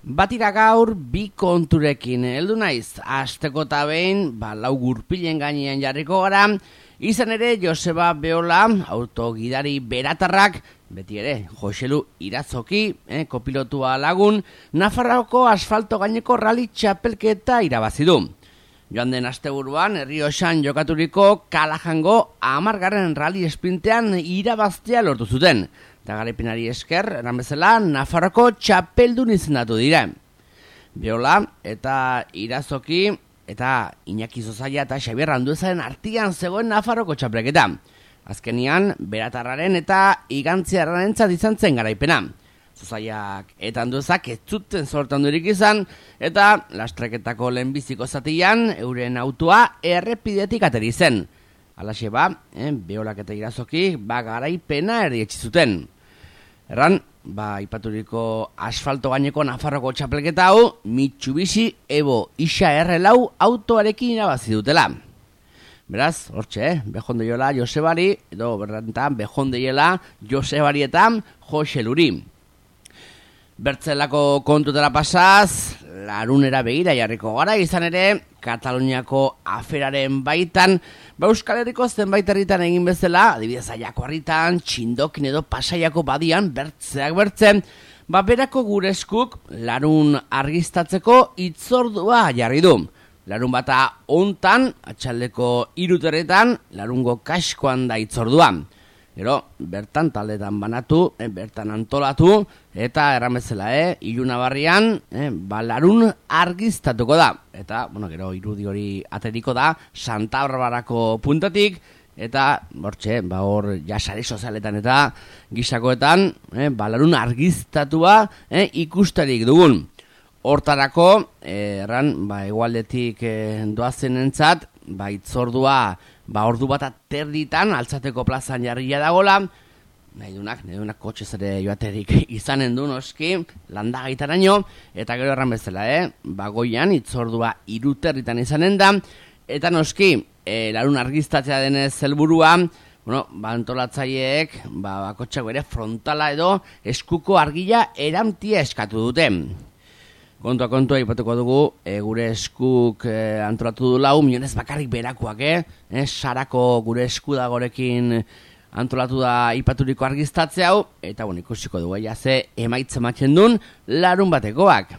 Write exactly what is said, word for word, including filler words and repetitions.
Batira gaur bi konturekin heldu naiz, asteko eta behin, ba, lau gurpilen gainean jarriko gara, izan ere Joseba Beola, autogidari beratarrak, beti ere, Joselu Irazoki, eh, kopilotua lagun, Nafarroako asfalto gaineko rally txapelketa irabazi du. Joan den asteburuan, Errioxan jokaturiko Kalajango hamargarren rally esprintean irabaztea lortu zuten. Eta garaipenari esker, eran bezala, Nafarroko txapeldun izendatu dira. Beola eta Irazoki eta Iñaki Zozaia eta Xabier Anduezaren artean zegoen Nafarroko txapelketa. Azkenian, beratarraren eta igantziarrarentzat izan zen garaipena. Zozaiak eta Anduezak ez zuten sortandurik izan, eta lastreketako lehenbiziko zatian euren autoa errepidetik ateri zen. Alaxe ba, eh, Beolak eta Irazoki ba garaipena erdietsi zuten. Erran, ba ipaturiko asfalto gaineko Nafarroko txapelketa hau Mitsubishi Evo Isa erre lau autoarekin irabazi dutela. Beraz, hortxe, eh? Behondeiela Josebari, edo berrantan Behondeiela Josebari eta Joseluri. Bertzelako kontutera pasaz, larunera begira jarriko gara, izan ere, Kataluniako aferaren baitan, ba Euskal Herriko zenbait herritan egin bezala, adibidez Aiako herritan, Txindokin edo Pasaiako badian, bertzeak bertzen, ba berako gure eskuk larun argiztatzeko hitzordua jarri du. Larun bata hontan, atxaldeko hiruterretan, larungo kaskoan da hitzordua. Gero, bertan taldetan banatu, eh, bertan antolatu, eta erramezela, eh, ilunabarrian, eh, balarun argiztatuko da. Eta, bueno, gero, irudi hori ateriko da, Santa Barbarako puntatik, eta, bortxe, ba hor, jasare sozialetan eta gisakoetan, eh, balarun argiztatua eh, ikusterik dugun. Hortarako, eh, erran, ba, egualdetik eh, doazen entzat, ba, itzordua, ba, ordu bat aterditan, altzateko plazan jarria dagola, nahi dunak, nahi dunak kotxez ere joaterik izanen du, noski, landagaitaraino, eta gero erran bezala, eh? Ba, goian, itzordua iruterritan izanen da, eta noski, e, larun argiztatzea denez helburua, bueno, ba, antolatzaileek, ba, bakotxako ere frontala edo eskuko argila eramtia eskatu dute. Kontua kontua ipatuko dugu, e, gure eskuk e, antolatu du lau, milionez bakarrik berakoak, eh? E, sarako gure esku dagorekin antolatu da ipaturiko argiztatze hau, eta bueno, ikusiko dugu, ja ze emaitza ematen duen larun batekoak.